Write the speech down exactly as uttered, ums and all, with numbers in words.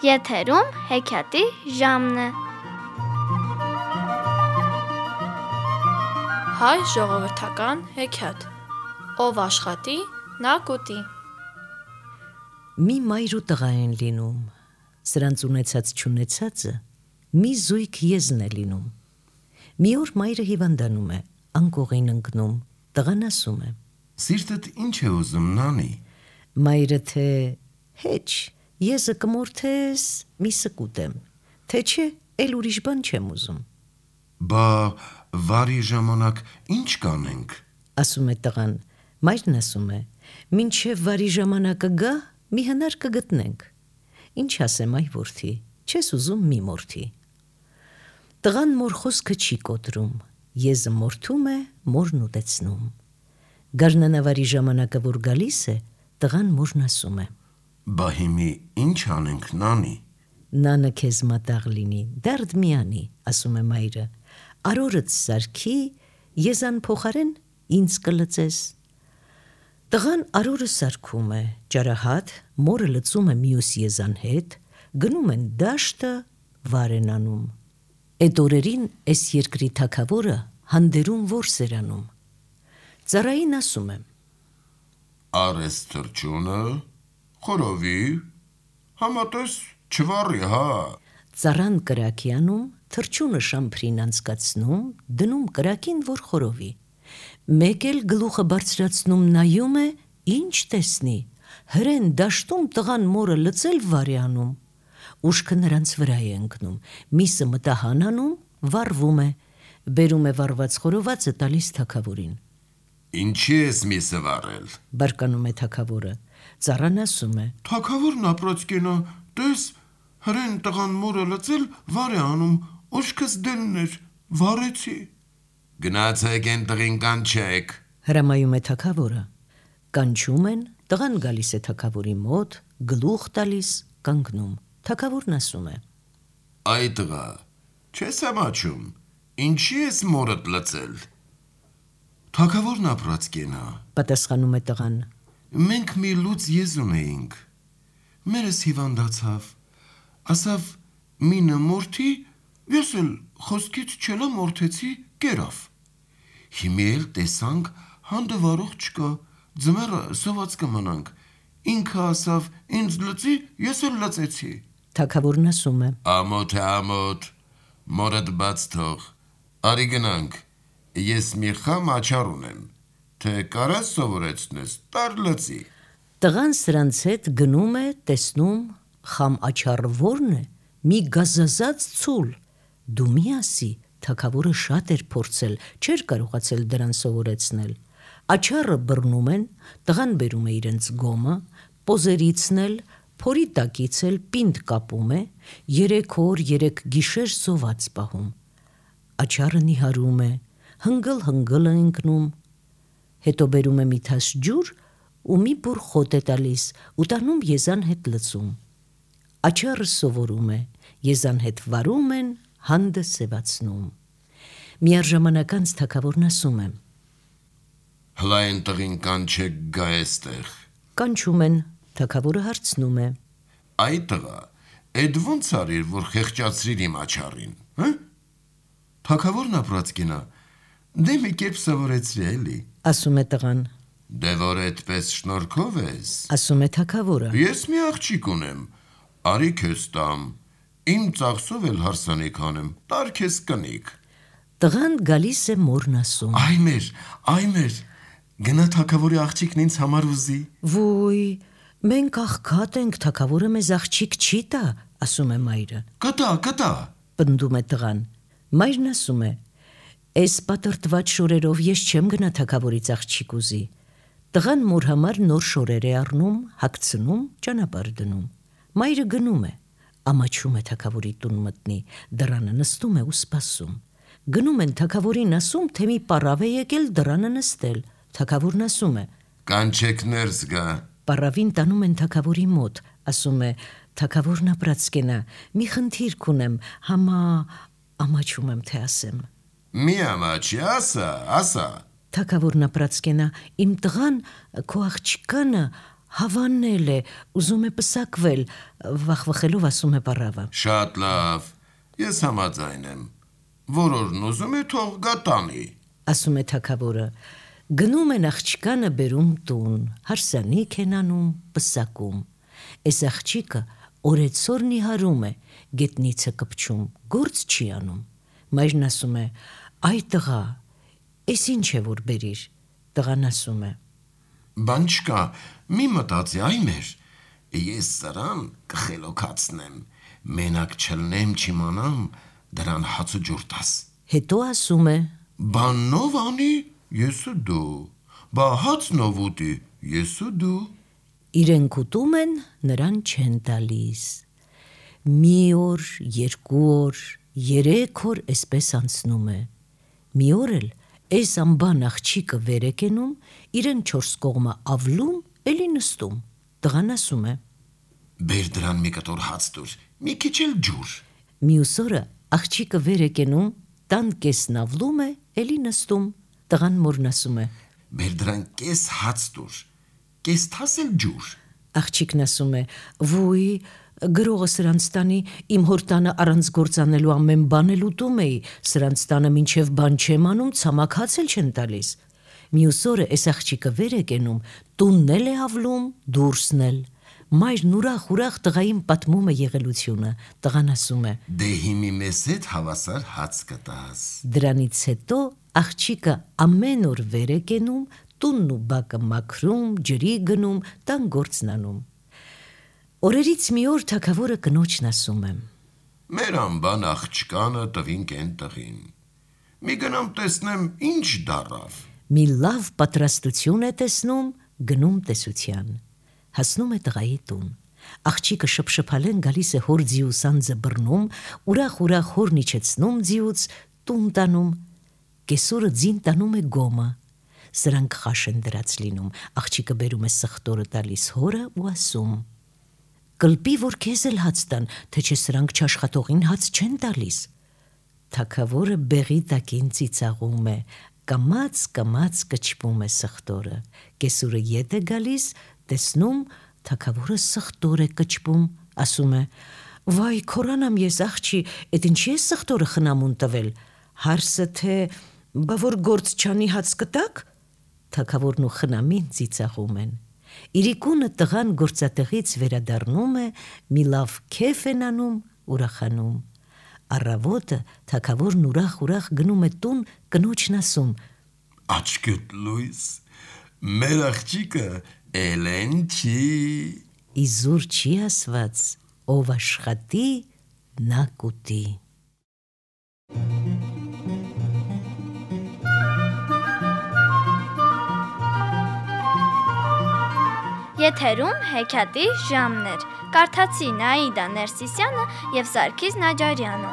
Եթերում հեքիաթի ժամն է։ Հայ ժողովրդական հեքիաթ։ Ով աշխատի, նա կուտի։ Մի մայր ու տղա են լինում, սրանց ունեցած չունեցածը մի զույգ եզն է լինում։ Մի օր մայրը հիվանդանում է, անկողին ընկնում, տղան ասում է. Սիրտդ ինչ է ուզում, նանի։ Մայրը թե հեչ, եզը կմորթես, միսը կուտեմ, թե չէ, էլ ուրիշ բան չեմ ուզում։ Բա վարի ժամանակ ինչ կանենք, ասում է տղան, մայրն ասում է, մինչև վարի ժամանակը գա, մի հնար կգտնենք։ Ինչ ասեմ այ որդի, չես ուզում մի մորթի։ Տղան մոր խոսքը չի կոտրում, եզը մորթում է, մորն ուտեցնում։ Գարնանավարի ժամանակը որ գալիս է, տղան մորն ասում է. Բա հիմի ինչ անենք, նանի։ Նանը քեզ մատաղ լինի, դարդ մի անի, ասում է մայրը, արորդ սարքի, եզան փոխարեն ինձ կլծես։ Տղան արորը սարքում է, ճարահատ, մորը լծում է մյուս եզան հետ, գնում են դաշտը, վար են անում։ Էդ օրերին էս երկրի թագավորը հանդերում որս էր անում։ Ծառային ասում եմ. Արես թրջունը, խորովի, համատես չվարի, հա։ Ծառան կրակի անում, թրջունը շամփրին անցկացնում, դնում կրակին, որ խորովի։ Մեկ էլ գլուխը բարձրացնում նայում է, ինչ տեսնի, հրեն դաշտում տղան մորը լծել վարի անում։ Ուշքը նրանց վրա է ընկնում, միսը մտահան անում, վառվում է, բերում է վառված խորովածը տալիս թագավորին։ Ինչի ես միսը վառել, բարկանում է թագավորը։ Ծառան ասում է. Թագավորն ապրած կենա, տես, հրեն տղան մորը լծել վար է անում, ուշքս դենն էր, վառեցի։ Գնացեք են տղին կանչեք, հրամայում է թագավորը։ Կանչում են, տղան գալիս է թագավորի մոտ, գլուխ տալիս, կանգնում։ Թագավորն ասում է. Այ տղա, չես ամաչում, ինչի ես մորդ լծել։ Թագավորն ապրած կենա, պատասխանում է տղան։ Մենք մի լուծ եզ ունեինք, մերս հիվանդացավ, ասավ մինը մորթի, ես էլ խոսքից չելա մորթեցի կերավ։ Հիմի էլ տեսանք հանդը վարող չկա, ձմերը սոված կմնանք, ինքը ասավ ինձ լծի, ես էլ լծեցի։ Թագավորն ասում է. Ամոթ է ամոթ, մորդ բաց թող, արի գնանք, ես մի խամ աչար ունեմ, թե կարաս սովորեցնես, տար լծի։ Տղան սրանց հետ գնում է, տեսնում, խամ աչառը որն է, մի գազազած ցուլ։ Դու մի ասի, թագավորը շատ էր փորձել, չէր կարողացել դրան սովորեցնել։ Աչառը բռնում են, տղան բերում է իրենց գոմը, պոզերիցն էլ, փորի տակից էլ պինդ կապում է, երեք օր, երեք գիշեր սոված պահում։ Աչառը նիհարում է, հնգլ-հնգլ է ընկնում, հետո բերում է մի թաս ջուր ու մի բուռ խոտ է տալիս ու տանում եզան հետ լծում։ Աչառը սովորում է, եզան հետ վարում են, հանդը սևացնում։ Միառժամանակ անց թագավորն ասում է. Հլա են տղին կանչեք գա էստեղ։ Կանչում են, թագավորը հարցնում է. Այ տղա, էդ ոնց արիր, որ խեղճացրիր իմ աչառին, հը։ Թագավորն ապրած կենա, դե մի կերպ սովորեցրի էլի, ասում է տղան։ Դե որ այդպես շնորհքով ես, ասում է թագավորը։ Ես մի աղջիկ ունեմ, արի քեզ տամ, իմ ծախսով էլ հարսանիք անեմ, տար քեզ կնիկ։ Տղան գալիս է մորն ասում. Այ մեր, այ մեր, գնա թագավորի աղջիկն ինձ համար ուզի։ Ոյ, մենք աղքատ ենք, թագավորը մեզ աղջիկ չի տա, ասում է մայրը։ Կտա, կտա, պնդում է տղան։ Մայրն ասում է. Էս պատրտված շորերով ես չեմ գնա թագավորից աղջիկ ուզի։ Տղան մոր համար նոր շորեր է առնում, հագցնում, ճանապարհ դնում։ Մայրը գնում է, ամաչում է թագավորի տուն մտնի, դռանը նստում է ու սպասում։ Գնում են թագավորին ասում, թե մի պառավ է եկել դռանը նստել։ Թագավորն ասում է. Կանչեք ներս գա։ Պառավին տանում են թագավորի մոտ, ասում է. Թագավորն ապրած կենա, մի խնդիր կունեմ, համա ամաչում եմ, թե ասեմ։ Մի ամաչի, ասա, ասա։ Թագավորն ապրած կենա, իմ տղան քո աղջկանը Հավանել է, ուզում է պսակվել, վախվխելով ասում է պարավը։ Շատ լավ, ես համաձայն եմ, որորն ուզում է թող գա տանի, ասում է թագավորը։ Գնում են աղջկանը բերում տուն, հարսանիք են անում, պսակում։ Էս աղջիկը օրեցօր նիհարում է, գետնիցը կպչում, գործ չի անում։ Մայրն ասում է. «Այ տղա, էս ինչ է որ բերիր»։ Տղան ասում է. բան չկա, մի մտածի այ մեր, ես սրան կխելոքացնեմ, մենակ չլնեմ չիմանամ, դրան հաց ու ջուր տաս։ Հետո ասում է. Բաննով անի, ես ու դու, բա հացնով ուտի, ես ու դու։ Իրենք ուտում են, նրան չեն տալիս։ Մի օր, երկու օր, երեք օր էսպես անցնում է։ Մի օր էլ էս ամբան աղջիկը վեր է կենում, իրեն չորս կողմը ավլում, էլի նստում։ Տղան ասում է. Բեր դրան մի կտոր հաց տուր, մի քիչ էլ ջուր։ Մյուս օրը աղջիկը վեր է կենում, տան կեսն ավլում է, էլի նստում։ Տղան մորն ասում է. Բեր դրան կես հաց տուր, կես թաս էլ ջուր։ Աղջիկն ասում է. «Ոյ, գրողը սրանց տանի, իմ հոր տանը առանց գործանելու ամեն բան էլ ուտում էի, սրանց տանը մինչև բան չեմ անում, ցամաք հաց էլ չեն տալիս»։ Մյուս օրը էս աղջիկը վեր է կենում, տունն էլ է ավլում, դուրսն էլ։ Մայրն ուրախ-ուրախ տղային պատմում է եղելությունը։ Տղան ասում է. Դե հիմի մեզ հետ հավասար հաց կտաս։ Դրանից հետո աղջիկը ամեն օր վեր է կենում, տունն ու բակը մաքրում, ջրի գնում, տան գործն անում։ Օրերից մի օր թագավորը կնոջն ասում է. Մեր անբան աղջկանը տվինք են տղին։ Մի գնամ տեսնեմ ինչ դարավ։ Մի լավ պատրաստություն է տեսնում, գնում տեսության։ Հասնում է տղայի տուն։ Աղջիկը շփշփալեն գալիս է հոր ձիուսանձը բռնում, ուրախ-ուրախ հորն իջեցնում ձիուց, տուն տանում։ Կեսօրը ձին տանում է գոմը։ Սրանք խաշ են դրած լինում, աղջիկը բերում է սխտորը տալիս հորը ու ասում. «Կլպի, որ քեզ էլ հաց տան, թե չէ սրանք չաշխատողին հաց չեն տալիս»։ Թագավորը բեղի տակին ծիծաղում է, կամաց-կամաց կչպում է սխտորը։ Կեսօրը ետ է գալիս, տեսնում, թագավորը սխտոր է կչպում, ասում է. «Վայ, քորանամ ես աղջի, էդ ինչի է սխտորը խնամուն տվել, հարսը թե բա որ գործ չանի հաց կտակ»։ Թագավորն ու խնամին ծիծաղում են։ Իրիկունը տղան գործատեղից վերադառնում է, մի լավ քեֆ են անում, ուրախանում։ Առավոտը թագավորն ուրախ-ուրախ գնում է տուն, կնոջն ասում. Աչքդ լույս, մեր աղջիկը էլեն չի։ Իզուր չի ասված, ով աշխատի, նա կուտի։ Եթերում հեքիաթի ժամն էր։ Կարդացին Աիդա Ներսիսյանը և Սարգիս Նաջարյանը։